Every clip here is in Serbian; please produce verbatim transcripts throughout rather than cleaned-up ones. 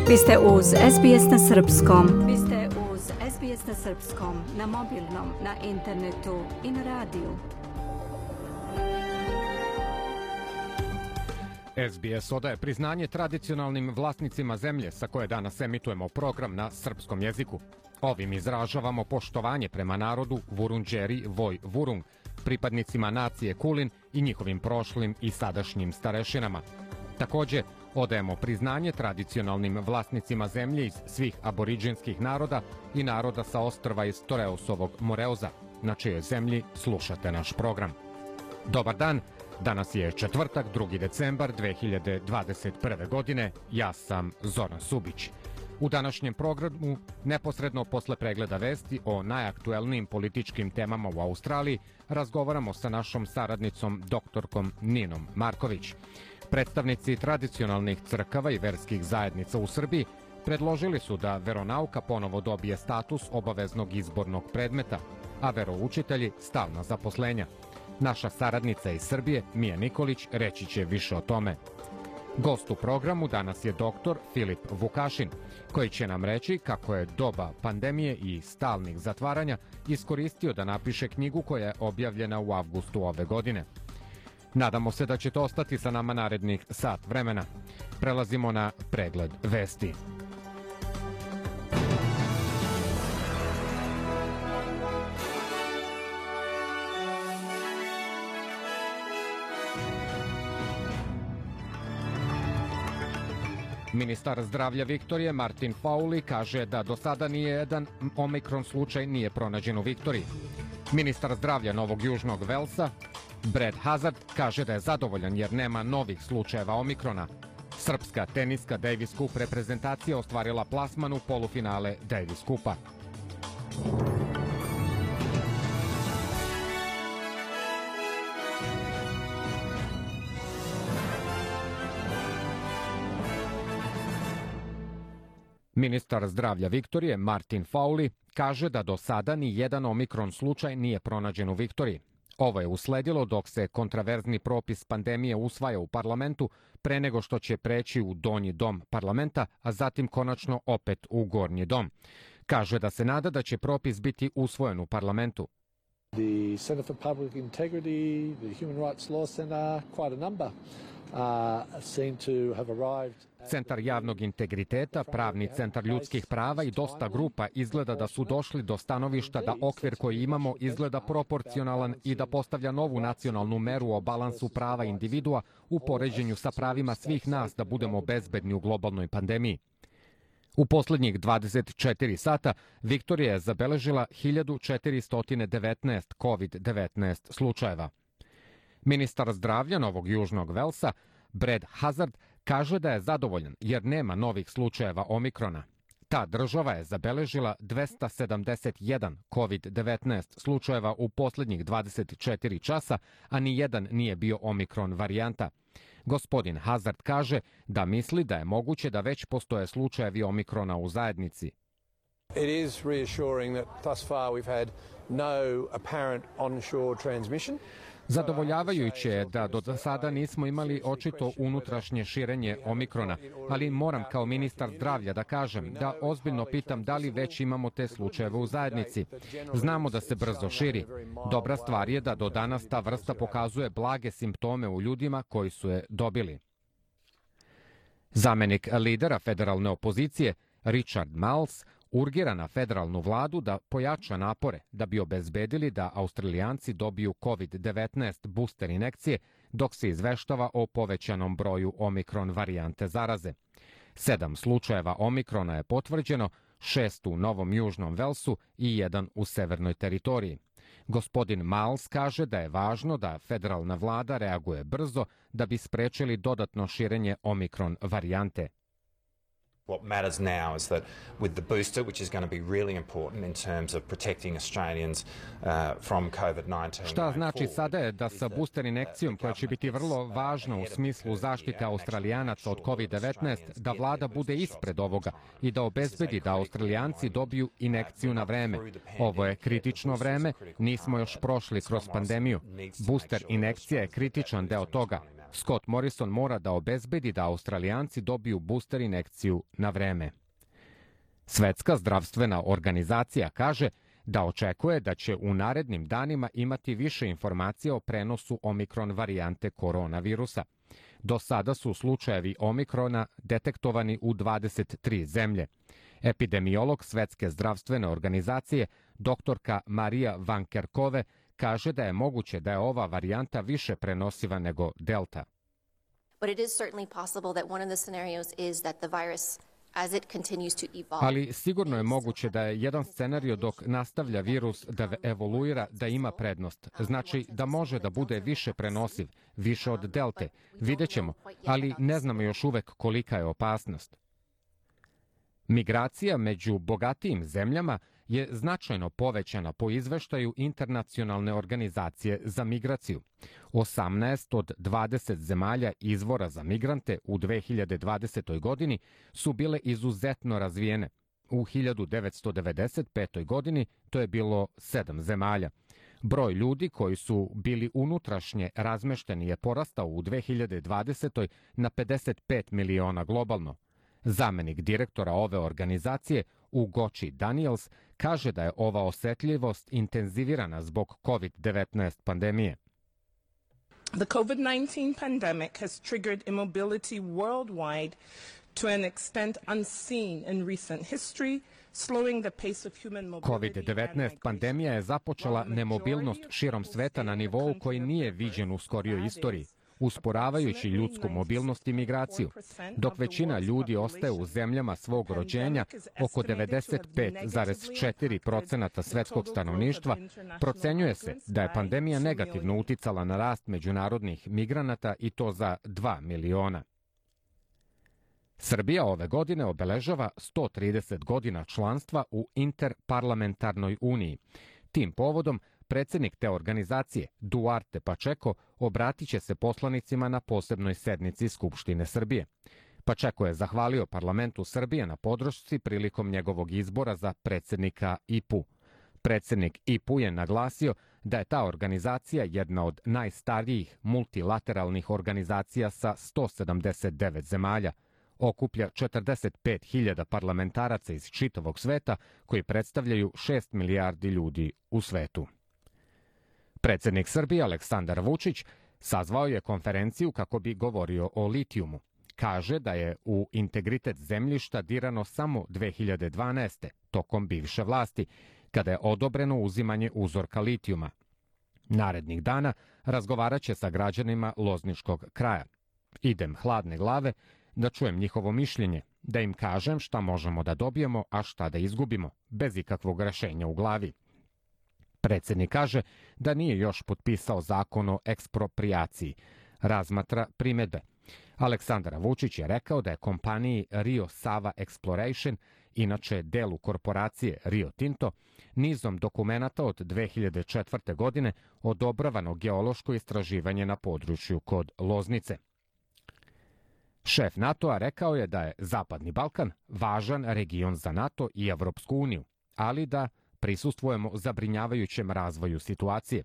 Vi ste uz S B S na Srpskom. Vi ste uz S B S na Srpskom, na mobilnom, na internetu i na radiju. S B S odaje priznanje tradicionalnim vlasnicima zemlje sa koje danas emitujemo program na srpskom jeziku. Ovim izražavamo poštovanje prema narodu Vurundjeri Voi Vurung, pripadnicima nacije Kulin i njihovim prošlim i sadašnjim starešinama. Također, odajemo priznanje tradicionalnim vlasnicima zemlje iz svih aboriđinskih naroda i naroda sa ostrva iz Toreusovog Moreuza, na čijoj zemlji slušate naš program. Dobar dan, danas je četvrtak, drugi decembar dve hiljade dvadeset prve. godine, ja sam Zoran Subić. U današnjem programu, neposredno posle pregleda vesti o najaktuelnijim političkim temama u Australiji, razgovaramo sa našom saradnicom doktorkom Ninom Marković. Predstavnici tradicionalnih crkava i verskih zajednica u Srbiji predložili su da veronauka ponovo dobije status obaveznog izbornog predmeta, a veroučitelji stalna zaposlenja. Naša saradnica iz Srbije, Mija Nikolić, reći će više o tome. Gost u programu danas je doktor Filip Vukašin, koji će nam reći kako je doba pandemije i stalnih zatvaranja iskoristio da napiše knjigu koja je objavljena u avgustu ove godine. Nadamo se da ćete ostati sa nama narednih sat vremena. Prelazimo na pregled vesti. Ministar zdravlja Viktorije Martin Fowley kaže da do sada nije jedan omikron slučaj nije pronađen u Viktoriji. Ministar zdravlja Novog Južnog Velsa Brad Hazard kaže da je zadovoljan jer nema novih slučajeva omikrona. Srpska teniska Davis Cup reprezentacija ostvarila plasman u polufinale Davis Cupa. Ministar zdravlja Viktorije Martin Fowley kaže da do sada ni jedan omikron slučaj nije pronađen u Viktoriji. Ovo je usledilo dok se kontraverzni propis pandemije usvaja u parlamentu pre nego što će preći u donji dom parlamenta, a zatim konačno opet u gornji dom. Kaže da se nada da će propis biti usvojen u parlamentu. The Centre for Public Integrity, the Human Rights Law Centre, quite a number uh, seem to have arrived. Centar javnog integriteta, pravni centar ljudskih prava i dosta grupa izgleda da su došli do stanovišta da okvir koji imamo izgleda proporcionalan i da postavlja novu nacionalnu meru o balansu prava individua u poređenju sa pravima svih nas da budemo bezbedni u globalnoj pandemiji. U poslednjih dvadeset četiri sata Viktorija je zabeležila hiljadu četiristo devetnaest kovid devetnaest slučajeva. Ministar zdravlja Novog Južnog Velsa Brad Hazard kaže da je zadovoljan jer nema novih slučajeva omikrona. Ta država je zabeležila dvesta sedamdeset jedan kovid devetnaest slučajeva u poslednjih dvadeset četiri časa, a ni jedan nije bio omikron varijanta. Gospodin Hazard kaže da misli da je moguće da već postoje slučajevi omikrona u zajednici. It is reassuring that thus far we've had no apparent onshore transmission. Zadovoljavajuće je da do sada nismo imali očito unutrašnje širenje omikrona, ali moram kao ministar zdravlja da kažem da ozbiljno pitam da li već imamo te slučajeve u zajednici. Znamo da se brzo širi. Dobra stvar je da do danas ta vrsta pokazuje blage simptome u ljudima koji su je dobili. Zamenik lidera federalne opozicije Richard Marles urgira na federalnu vladu da pojača napore da bi obezbedili da Australijanci dobiju kovid devetnaest booster injekcije dok se izveštava o povećanom broju omikron varijante zaraze. Sedam slučajeva omikrona je potvrđeno, šest u Novom Južnom Velsu i jedan u Severnoj teritoriji. Gospodin Marles kaže da je važno da federalna vlada reaguje brzo da bi sprečili dodatno širenje omikron varijante. What matters now is that with the booster, which is going to be really important in terms of protecting Australians uh, from COVID nineteen. Šta znači sada je da sa booster injekcijom koja će biti vrlo važna u smislu zaštite Australijanaca od kovid devetnaest, da vlada bude ispred ovoga i da obezbedi da Australijanci dobiju injekciju na vreme. Ovo je kritično vreme, nismo još prošli kroz pandemiju. Booster injekcija je kritičan deo toga. Scott Morrison mora da obezbedi da Australijanci dobiju booster injekciju na vreme. Svetska zdravstvena organizacija kaže da očekuje da će u narednim danima imati više informacija o prenosu omikron varijante koronavirusa. Do sada su slučajevi omikrona detektovani u dvadeset tri zemlje. Epidemiolog Svetske zdravstvene organizacije, doktorka Marija Van Kerkove, kaže da je moguće da je ova varijanta više prenosiva nego Delta. But it is certainly possible that one of the scenarios is that the virus as it continues to evolve. Ali sigurno je moguće da je jedan scenario dok nastavlja virus da evoluira da ima prednost. Znači da može da bude više prenosiv, više od Delte. Vidjet ćemo, ali ne znamo još uvek kolika je opasnost. Migracija među bogatijim zemljama je značajno povećana po izveštaju Internacionalne organizacije za migraciju. osamnaest od dvadeset zemalja izvora za migrante u dve hiljade dvadesetoj. godini su bile izuzetno razvijene. U hiljadu devetsto devedeset petoj. godini to je bilo sedam zemalja. Broj ljudi koji su bili unutrašnje razmešteni je porastao u dve hiljade dvadesetoj. na pedeset pet miliona globalno. Zamenik direktora ove organizacije, Ugochi Daniels, kaže da je ova osetljivost intenzivirana zbog kovid devetnaest pandemije. The COVID nineteen pandemic has triggered immobility worldwide to an extent unseen in recent history, slowing the pace of human mobility. kovid devetnaest pandemija je započela nemobilnost širom sveta na nivou koji nije viđen u skorijoj istoriji, usporavajući ljudsku mobilnost i migraciju. Dok većina ljudi ostaje u zemljama svog rođenja, oko devedeset pet zarez četiri posto svetskog stanovništva, procenjuje se da je pandemija negativno uticala na rast međunarodnih migranata i to za dva miliona. Srbija ove godine obeležava sto trideset godina članstva u Interparlamentarnoj uniji. Tim povodom predsjednik te organizacije, Duarte Pacheco, obratit će se poslanicima na posebnoj sednici Skupštine Srbije. Pacheco je zahvalio parlamentu Srbije na podršci prilikom njegovog izbora za predsjednika I P U. Predsjednik I P U je naglasio da je ta organizacija jedna od najstarijih multilateralnih organizacija sa sto sedamdeset devet zemalja. Okuplja četrdeset pet hiljada parlamentaraca iz čitavog sveta koji predstavljaju šest milijardi ljudi u svetu. Predsjednik Srbije Aleksandar Vučić sazvao je konferenciju kako bi govorio o litijumu. Kaže da je u integritet zemljišta dirano samo dve hiljade dvanaeste. tokom bivše vlasti, kada je odobreno uzimanje uzorka litijuma. Narednih dana razgovarat će sa građanima Lozničkog kraja. Idem hladne glave da čujem njihovo mišljenje, da im kažem šta možemo da dobijemo, a šta da izgubimo, bez ikakvog rešenja u glavi. Predsjednik kaže da nije još potpisao zakon o eksproprijaciji. Razmatra primedbe. Aleksandar Vučić je rekao da je kompaniji Rio Sava Exploration, inače delu korporacije Rio Tinto, nizom dokumenata od dve hiljade četvrte. godine odobravano geološko istraživanje na području kod Loznice. Šef NATO-a rekao je da je Zapadni Balkan važan region za NATO i Evropsku uniju, ali da prisustvujemo zabrinjavajućem razvoju situacije.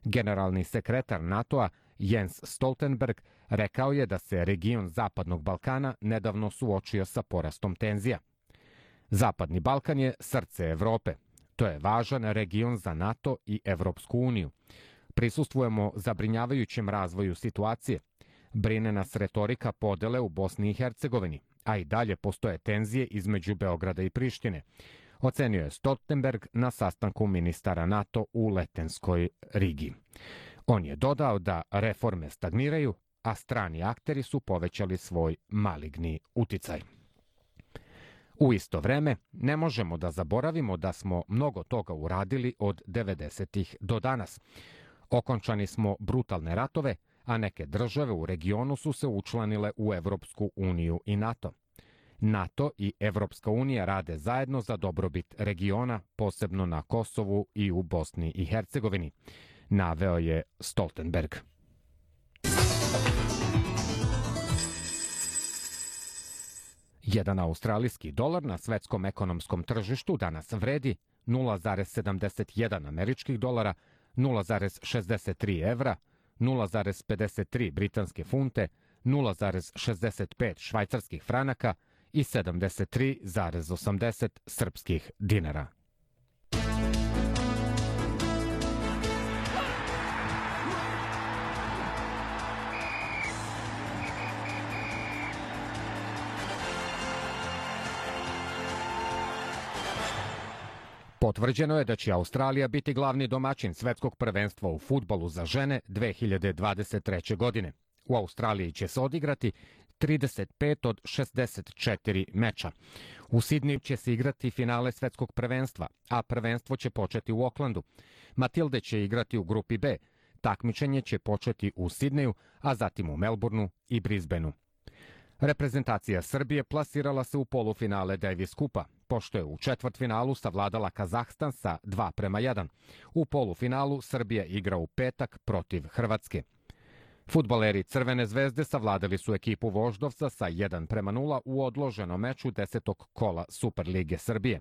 Generalni sekretar NATO-a Jens Stoltenberg rekao je da se region Zapadnog Balkana nedavno suočio sa porastom tenzija. Zapadni Balkan je srce Evrope. To je važan region za NATO i Evropsku uniju. Prisustvujemo zabrinjavajućem razvoju situacije. Brine nas retorika podele u Bosni i Hercegovini, a i dalje postoje tenzije između Beograda i Prištine, ocenio je Stoltenberg na sastanku ministara NATO u Letenskoj Rigi. On je dodao da reforme stagniraju, a strani akteri su povećali svoj maligni uticaj. U isto vreme, ne možemo da zaboravimo da smo mnogo toga uradili od devedesetih do danas. Okončani smo brutalne ratove, a neke države u regionu su se učlanile u Evropsku uniju i NATO. NATO i Evropska unija rade zajedno za dobrobit regiona, posebno na Kosovu i u Bosni i Hercegovini, naveo je Stoltenberg. Jedan australijski dolar na svetskom ekonomskom tržištu danas vredi nula zarez sedamdeset jedan američkih dolara, nula zarez šezdeset tri evra, nula zarez pedeset tri britanske funte, nula zarez šezdeset pet švajcarskih franaka i sedamdeset tri zarez osamdeset srpskih dinara. Potvrđeno je da će Australija biti glavni domaćin svetskog prvenstva u fudbalu za žene dve hiljade dvadeset treće. godine. U Australiji će se odigrati trideset pet od šezdeset četiri meča. U Sidniju će se igrati finale svetskog prvenstva, a prvenstvo će početi u Oklandu. Matilde će igrati u grupi B. Takmičenje će početi u Sidneju, a zatim u Melbourneu i Brisbaneu. Reprezentacija Srbije plasirala se u polufinale Davis kupa, pošto je u četvrtfinalu savladala Kazahstan sa dva prema jedan. U polufinalu Srbija igra u petak protiv Hrvatske. Fudbaleri Crvene zvezde savladali su ekipu Voždovca sa jedan prema nula u odloženom meču desetog kola Superlige Srbije.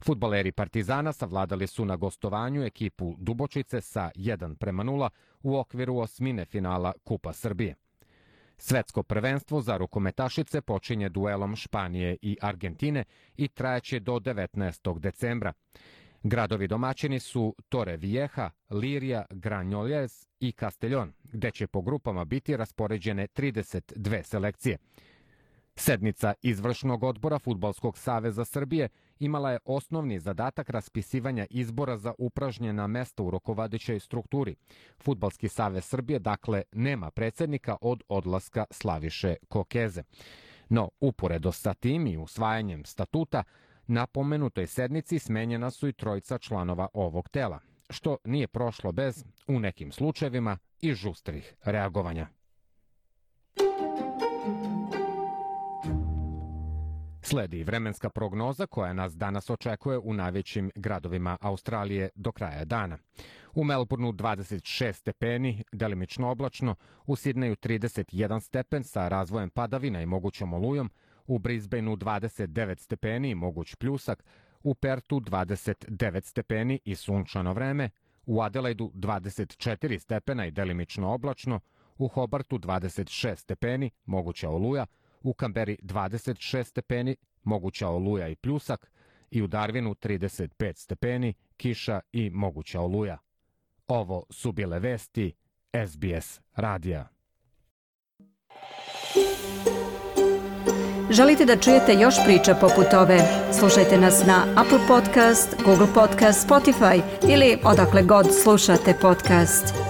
Fudbaleri Partizana savladali su na gostovanju ekipu Dubočice sa jedan prema nula u okviru osmine finala Kupa Srbije. Svetsko prvenstvo za rukometašice počinje duelom Španije i Argentine i trajaće do devetnaestog decembra. Gradovi domaćini su Torrevieja, Liria, Granollers i Castellón, gde će po grupama biti raspoređene trideset dve selekcije. Sednica Izvršnog odbora Fudbalskog saveza Srbije imala je osnovni zadatak raspisivanja izbora za upražnjena mesta u rukovodećoj strukturi. Fudbalski savez Srbije, dakle, nema predsednika od odlaska Slaviše Kokeze. No, uporedo sa tim i usvajanjem statuta, na pomenutoj sednici smenjena su i trojica članova ovog tela, što nije prošlo bez, u nekim slučajevima, i žustrih reagovanja. Sledi vremenska prognoza koja nas danas očekuje u najvećim gradovima Australije do kraja dana. U Melbourneu dvadeset šest stepeni, delimično oblačno, u Sidneju trideset jedan stepen sa razvojem padavina i mogućom olujom, u Brisbaneu dvadeset devet stepeni i moguć pljusak, u Pertu dvadeset devet stepeni i sunčano vreme, u Adelaidu dvadeset četiri stepena i delimično oblačno, u Hobartu dvadeset šest stepeni, moguća oluja, u Kamberi dvadeset šest stepeni, moguća oluja i pljusak i u Darwinu trideset pet stepeni, kiša i moguća oluja. Ovo su bile vesti S B S radija. Želite da čujete još priča poput ove? Slušajte nas na Apple Podcast, Google Podcast, Spotify ili odakle god slušate podcast.